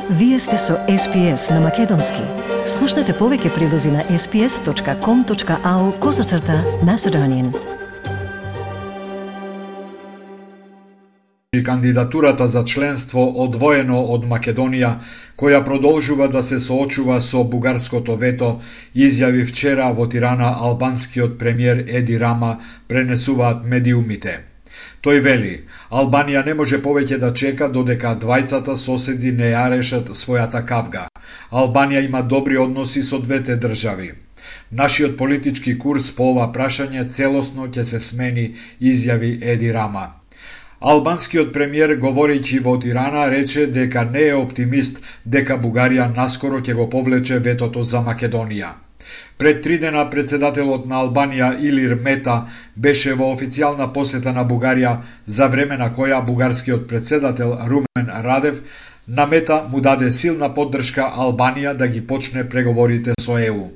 Вие сте со SPS на Македонски. Слушнете повеќе прилози на sps.com.au/Macedonian. Кандидатурата за членство одвоено од Македонија, која продолжува да се соочува со бугарското вето, изјави вчера во Тирана албанскиот премиер Еди Рама, пренесуваат медиумите. Тој вели, Албанија не може повеќе да чека додека двајцата соседи не ја решат својата кавга. Албанија има добри односи со двете држави. Нашиот политички курс по ова прашање целосно ќе се смени, изјави Еди Рама. Албанскиот премиер, говорејќи во Тирана, рече дека не е оптимист дека Бугарија наскоро ќе го повлече ветото за Македонија. Пред 3 дена председателот на Албанија Илир Мета беше во официјална посета на Бугарија, за време на која бугарскиот председател Румен Радев на Мета му даде силна поддршка Албанија да ги почне преговорите со ЕУ.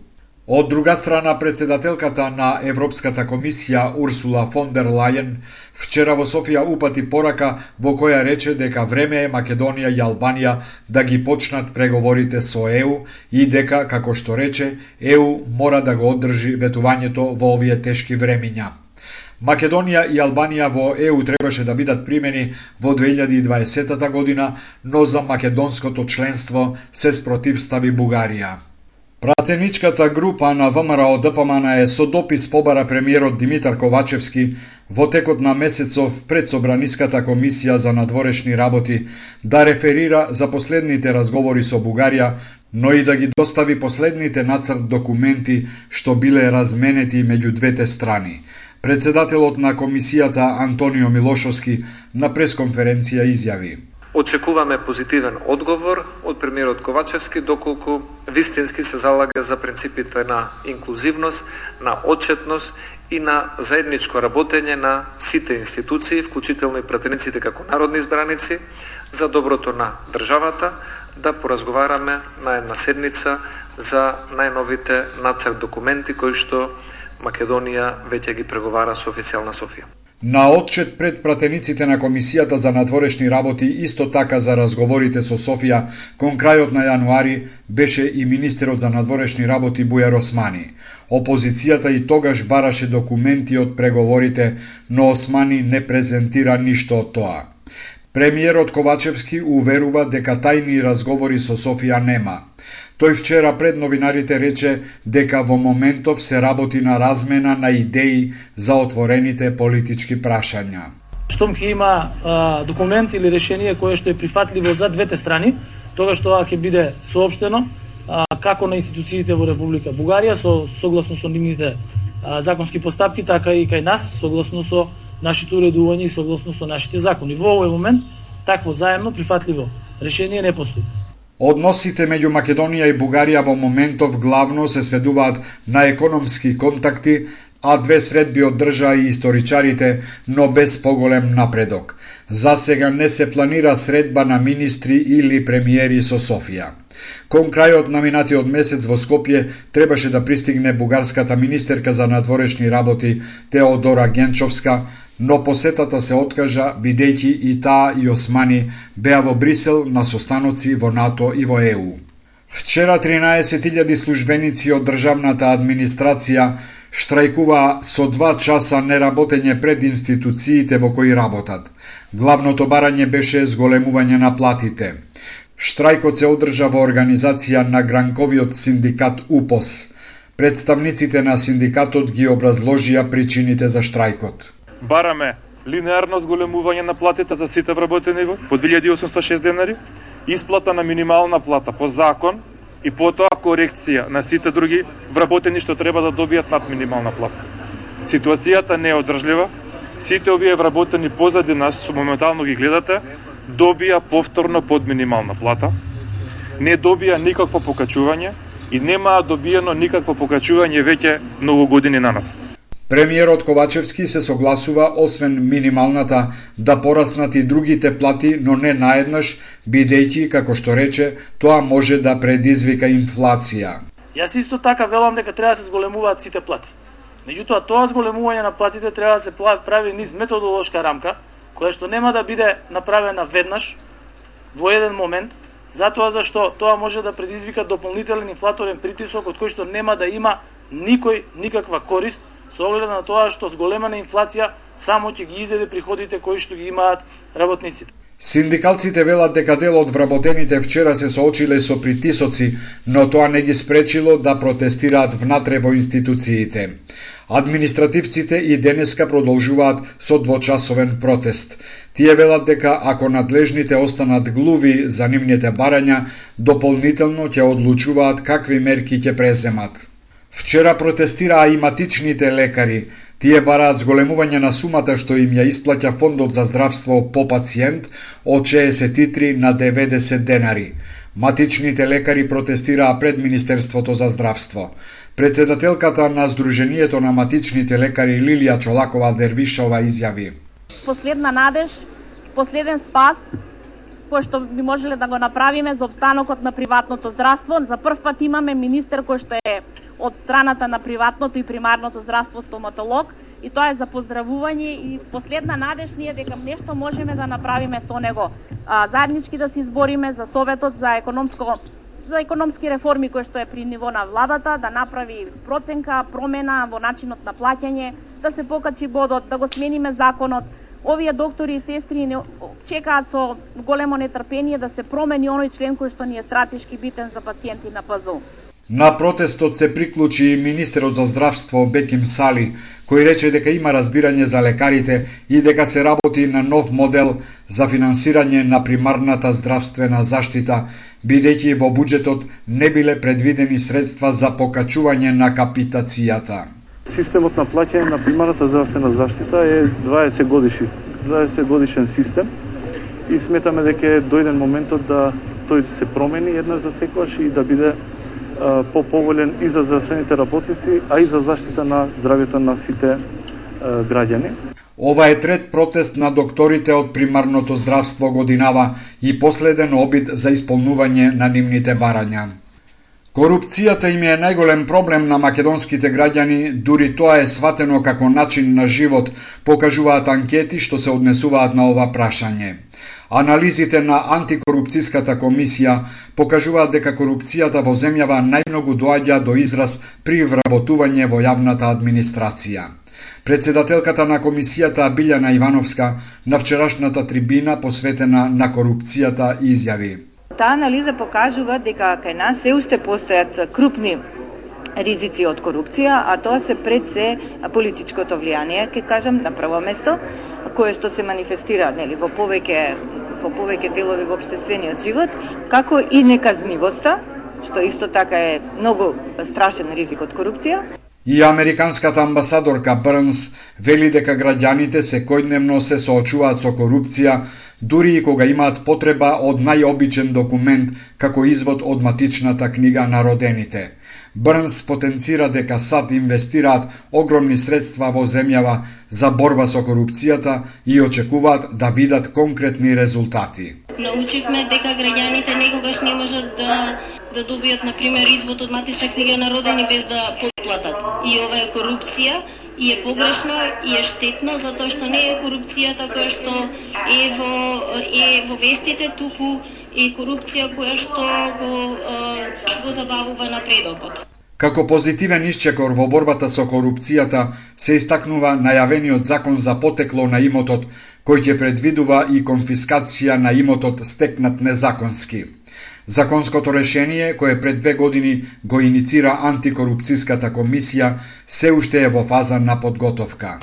Од друга страна, председателката на Европската комисија Урсула фон дер Лајен вчера во Софија упати порака во која рече дека време е Македонија и Албанија да ги почнат преговорите со ЕУ и дека, како што рече, ЕУ мора да го оддржи ветувањето во овие тешки времиња. Македонија и Албанија во ЕУ требаше да бидат примени во 2020 година, но за македонското членство се спротивстави Бугарија. Пратеничката група на ВМРО-ДПМН со допис побара премиерот Димитар Ковачевски во текот на месецов пред Собраниската комисија за надворешни работи да реферира за последните разговори со Бугарија, но и да ги достави последните нацрт документи што биле разменети меѓу двете страни. Председателот на комисијата Антонио Милошовски на пресконференција изјави: Очекуваме позитивен одговор од премиерот Ковачевски, доколку вистински се залага за принципите на инклузивност, на отчетност и на заедничко работење на сите институции, вклучително и пратениците како народни избраници, за доброто на државата, да поразговараме на една седница за најновите нацрт документи кои што Македонија веќе ги преговара со официјална Софија. На отчет пред пратениците на Комисијата за надворешни работи, исто така за разговорите со Софија, кон крајот на јануари, беше и министерот за надворешни работи Бујар Османи. Опозицијата и тогаш бараше документи од преговорите, но Османи не презентира ништо од тоа. Премиерот Ковачевски уверува дека тајни разговори со Софија нема. Тој вчера пред новинарите рече дека во моментов се работи на размена на идеи за отворените политички прашања. Штом ќе има документ или решение кое што е прифатливо за двете страни, тогаш тоа ќе биде соопштено како на институциите во Република Бугарија согласно со нивните законски постапки, така и кај нас согласно со нашите уредувања и согласно со нашите закони. Во овој момент такво заемно прифатливо решение не постои. Односите меѓу Македонија и Бугарија во моментов главно се сведуваат на економски контакти, а две средби одржаа и историчарите, но без поголем напредок. За сега не се планира средба на министри или премиери со Софија. Кон крајот на минатиот месец во Скопје требаше да пристигне бугарската министерка за надворешни работи Теодора Генчовска, но посетата се откажа бидејќи и таа и Османи беа во Брисел на состаноци во НАТО и во ЕУ. Вчера 13.000 службеници од државната администрација штрајкуваа со 2 часа неработење пред институциите во кои работат. Главното барање беше зголемување на платите. Штрајкот се одржа во организација на гранковиот синдикат УПОС. Представниците на синдикатот ги образложија причините за штрајкот. Бараме линеарно зголемување на платите за сите вработени по 2806 денари, исплата на минимална плата по закон и потоа корекција на сите други вработени што треба да добијат над минимална плата. Ситуацијата не е одржлива. Сите овие вработени позади нас, што моментално ги гледате, добија повторно под минимална плата, не добија никакво покачување и немаа добиено никакво покачување веќе многу години на нас. Премиерот Ковачевски се согласува освен минималната да пораснат и другите плати, но не наеднаш, бидејќи, како што рече, тоа може да предизвика инфлација. Јас исто така велам дека треба да се зголемуваат сите плати. Меѓутоа, тоа зголемување на платите треба да се прави низ методолошка рамка, која што нема да биде направена веднаш, во еден момент, затоа зашто тоа може да предизвика дополнителен инфлаторен притисок од кој што нема да има никој никаква корист, со оглед на тоа што зголемена инфлација само ќе ги изеде приходите кои што ги имаат работниците. Синдикалците велат дека дел од вработените вчера се соочиле со притисоци, но тоа не ги спречило да протестираат внатре во институциите. Административците и денеска продолжуваат со двочасовен протест. Тие велат дека ако надлежните останат глуви за нивните барања, дополнително ќе одлучуваат какви мерки ќе преземат. Вчера протестираа и матичните лекари. Тие бараат зголемување на сумата што им ја исплаќа Фондот за здравство по пациент од 63 на 90 денари. Матичните лекари протестираа пред Министерството за здравство. Председателката на Сдруженијето на матичните лекари Лилија Чолакова-Дервишова изјави: Последна надеж, последен спас, кој што би можеле да го направиме за обстанокот на приватното здравство. За прв пат имаме министер кој што е од страната на приватното и примарното здравство, стоматолог, и тоа е за поздравување и последна надеж ние дека нешто можеме да направиме со него. Заеднички да се избориме за Советот за економски реформи кој што е при ниво на владата, да направи проценка, промена во начинот на плаќање, да се покачи бодот, да го смениме законот. Овие доктори и сестри чекаат со големо нетрпение да се промени оној член кој што ни е стратешки битен за пациенти на ПЗУ. На протестот се приклучи и министерот за здравство Беким Сали, кој рече дека има разбирање за лекарите и дека се работи на нов модел за финансирање на примарната здравствена заштита, бидејќи во буџетот не биле предвидени средства за покачување на капитацијата. Системот на плаќање на примарната здравствена заштита е 20 годишен систем и сметаме дека е дојден моментот да тој се промени еднаш за секогаш и да биде поповолен и за здравствените работници, а и за заштита на здравјето на сите граѓани. Ова е трет протест на докторите од примарното здравство годинава и последен обид за исполнување на нивните барања. Корупцијата им е најголем проблем на македонските граѓани, дури тоа е сватено како начин на живот, покажуваат анкети што се однесуваат на ова прашање. Анализите на антикорупцијската комисија покажуваат дека корупцијата во земјава најмногу доаѓа до израз при вработување во јавната администрација. Председателката на комисијата Билјана Ивановска на вчерашната трибина посветена на корупцијата изјави: Таа анализа покажува дека кај нас се уште постојат крупни ризици од корупција, а тоа се пред се политичкото влијание, ќе кажам, на прво место, кое што се манифестира во повеќе делови во општествениот живот, како и неказнивоста, што исто така е многу страшен ризик од корупција. И американската амбасадорка Брнс вели дека граѓаните секојдневно се соочуваат со корупција, дури и кога имаат потреба од најобичен документ како извод од матичната книга на родените. Брнс потенцира дека САД инвестираат огромни средства во земјава за борба со корупцијата и очекуваат да видат конкретни резултати. Научивме дека граѓаните некогаш не можат да добијат, например, извод од матична книга на родени без да платат. И ова е корупција, и е погрешно, и е штетно, затоа што не е корупцијата која што е во вестите, туку е корупција која што го забавува напредокот. Како позитивен исчекор во борбата со корупцијата се истакнува најавениот закон за потекло на имотот, кој ќе предвидува и конфискација на имотот стекнат незаконски. Законското решение, кое пред 2 години го иницира антикорупцијската комисија, се уште е во фаза на подготовка.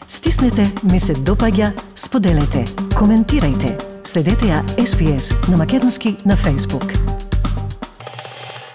Стиснете, ми се допаѓа, споделете, коментирајте. Следете ја SPS на македонски на Facebook.